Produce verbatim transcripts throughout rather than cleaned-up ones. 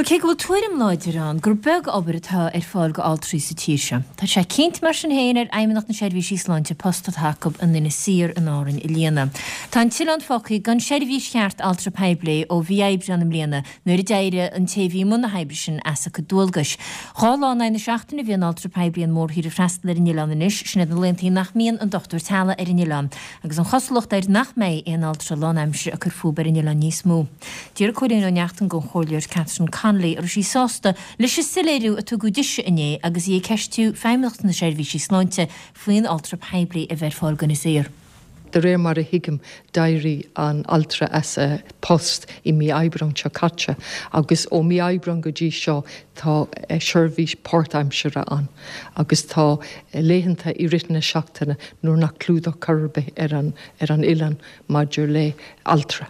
Bhuel, cé go bhfuil tuairim láidir ann gur beag obair atá ar fáil go altraí sa tír seo, tá sé cinnte mar sin féin ar Fheidhmeannacht na Seirbhísí Sláinte post atá acu in Inis Oírr in Árainn a líonadh. Tá an t-oileán fágtha gan seirbhís cheart altra poiblí ó mhí Aibreán i mbliana nuair a d'éirigh an té a bhí i mbun na hoibre sin as a cuid dualgais. Dhá lá in aghaidh na seachtaine a bhíonn altra poiblí an mórthír ag freastal ar an oileán anois, sin iad na laethanta nach mbíonn an dochtúir teaghlaigh ar an oileán, agus an chosúlacht air nach mbeidh aon altra lánaimseartha ag cur fúthu ar an oileán níos mó. D'iarr Cóilín Ó Neachtain den Chomhairleoir Catherine Connolly an raibh sí sásta leis an soiléiriú a tugadh dise inné agus í ag ceistiú Feidhmeannacht na Seirbhísí Sláinte faoin altra poiblí a bheith ar fáil d'Inis Oírr. De réir mar a thuigim d'éirigh an altra as a post i mí Aibreán seo caite agus ó mí Aibreán go dtí seo tá seirbhís páirtaimseartha ann agus tá laethanta i rith na seachtaine nuair nach clúdach chor ar bith ar an ar an oileán maidir le altra.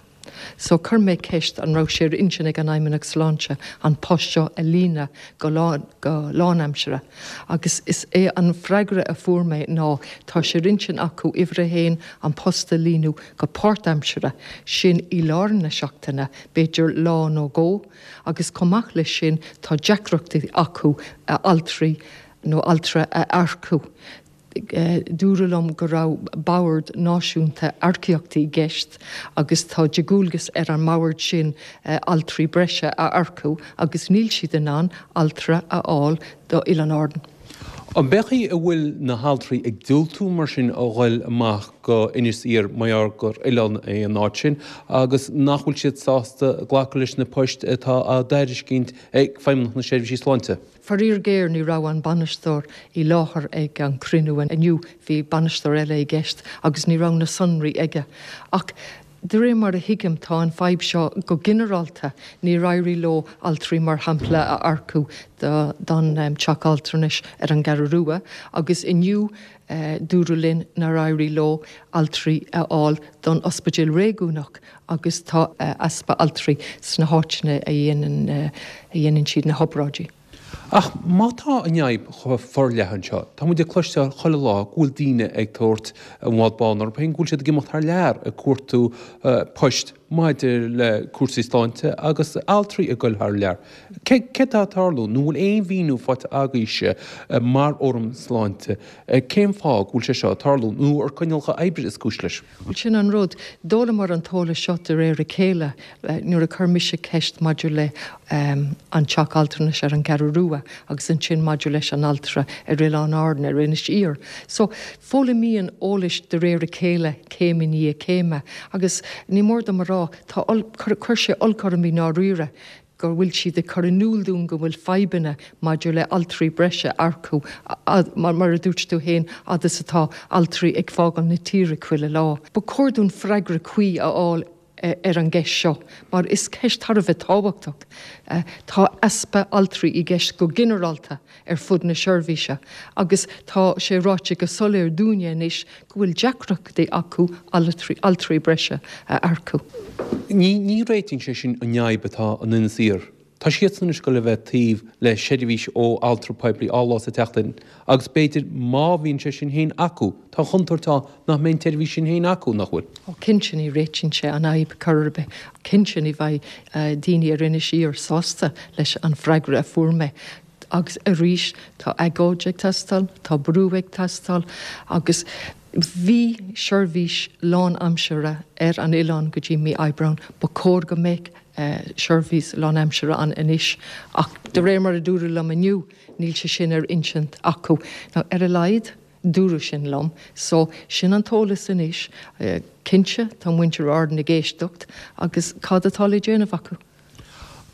So chuir mé ceist an raibh sé ar intinn ag an Fheidhmeannacht Sláinte an post seo a líonadh go lán go lánaimseartha. Agus is é an freagra a fuair mé ná tá sé ar intinn acu uimhir a haon an post a líonadh go páirtaimseartha sin i lár na seachtaine, b'fhéidir lá nó dhó, agus chomh maith leis sin tá deacrachtaí acu altraí nó altra a earcú. Dúradh liom go raibh bord náisiúnta earcaíochta i gceist agus tá de dhualgas ar an mbord sin altraí breise a earcú agus níl siad in ann altra a fháil do Oileáin Árann. An b'é a bhfuil na haltraí ag diúltú mar sin a ghoil amach go Inis Oírr mar gur oileán é an áit sin agus nach bhfuil siad sásta glacadh leis na poist atá á dtairiscint ag Feidhmeannacht na Seirbhísí Sláinte. Faraor géar ní raibh an bainisteoir i láthair ag an cruinniú inniu bhí bainisteoir eile i gceist agus ní raibh na sonraí aige. Ach de réir mar a thuigim tá an fadhb seo go ginearálta níor éirigh leo altraí mar shampla a earcú don teach altranais ar an gCeathrú Rua agus inniu dúradh linn nár éirigh leo altraí a fháil don ospidéal réigiúnach agus tá easpa altraí sna háiteanna a dhéanann a dhéanann siad na hobráidí. Ach má tá an fhadhb chomh forleathan seo, tá muid ag cloisteáil chuile lá go bhfuil daoine ag tabhairt an bhád bán orthu féin, go bhfuil siad ag imeacht thar lear ag cuartú poist maidir le cúrsaí sláinte agus altraí ag goil thar lear. Cé céard atá ag tarlú? Nó bhfuil aon mhíniú faighte agaibhse mar fhóram sláinte cén fáth go bhfuil sé seo ag tarlú nó ar coinníollacha oibre is cúis leis? Bhuel sin an rud. D'fhoghlaimíomar an t-eolas seo de réir a chéile nuair a chuir mise ceist maidir le an teach altranais ar an gCeathrú Rua agus ansin maidir leis an altra ar Oileán Árann ar Inis Oírr. So foghlaimíonn eolais de réir a chéile céim i ndiaidh céime agus ní mór dom a rá tá chuir sé olc orm i ndáiríre go bhfuil siad ag cur in iúl dúinn go bhfuil fadhbanna maidir le altraí breise earcú mar mar a dúirt tú féin agus atá altraí ag fágáil na tíre chuile lá. Ba chóir dúinn freagra cuí a fháil ar an gceist seo, mar is ceist thar a bheith tábhachtach. Tá easpa altraí i gceist go ginearálta ar fud na seirbhíse agus tá sé ráite go soiléir dúinne anois go bhfuil deacrachtaí acu altraí altraí breise a earcú. Ní ní réitíonn sé sin an fhadhb atá in Inis Oírr. Tá siadsan anois ag goil a bheith taobh le seirbhís ó altra poiblí dhá lá sa tseachtain agus b'fhéidir má bhíonn sé sin féin acu, tá an chontúirt ann nach mbeidh an tseirbhís sin féin acu, nach bhfuil? Ó cinnte ní réitíonn sé an fhadhb chor ar bith. Cinnte ní bheidh daoine ar Inis Oírr sásta leis an freagra a fuair mé. Agus arís tá agóid ag teastáil, tá brú ag teastáil agus bhí seirbhís lánaimseartha ar an oileán go dtí mí Aibreán, ba chóir go mbeadh seirbhís lánaimseartha ann anois ach de réir mar a dúradh liom inniu níl sé sin ar intinn acu. Now ar a laghad dúradh sin liom, so sin an t-eolas anois, cinnte tá muintir Árann ag éisteacht agus cad atá le déanamh acu?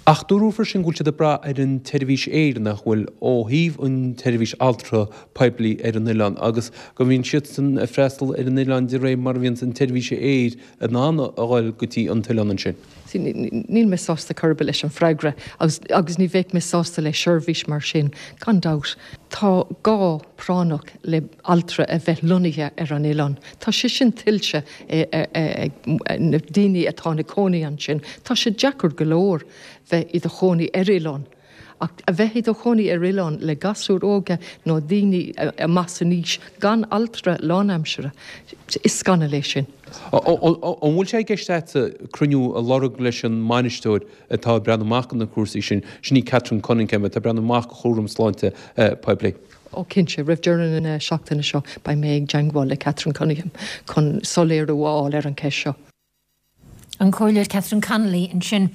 Ach dúradh freisin go bhfuil siad ag brath ar an tseirbhís aeir nach bhfuil ó thaobh an tseirbhís altra poiblí ar an oileán agus go mbíonn siadsan ag freastal ar an oileán de réir mar a bhíonn an tseirbhís aeir in ann a dhul go dtí an t-oileán ansin. See, níl mé sásta chor ar bith leis an freagra agus, agus ní bheidh mé sásta le seirbhís mar sin, gan dabht. Tá gá práinneach le altra a bheith lonnaithe ar an oileán. Tá sé sin tuillte ag na daoine atá ina cónaí ansin. Tá sé deacair go leor bheith i do chónaí ar oileán Ach a bheith i do chónaí ar oileán le gasúir óga nó daoine amach san aois gan altra lánaimseartha, is scannal é sin. An bhfuil sé i gceist agat cruinniú a lorg leis an mbainisteoir atá ag breathnú amach do na cúrsaí sin, sin í Catherine Cunningham atá ag breathnú amach do chúram sláinte poiblí? Ó cinnte, roimh deireadh na seachtaine seo beidh mé ag teagmháil le Catherine Cunningham chun soiléiriú a fháil ar an cheist seo. An Comhairleoir Catherine Connolly ansin.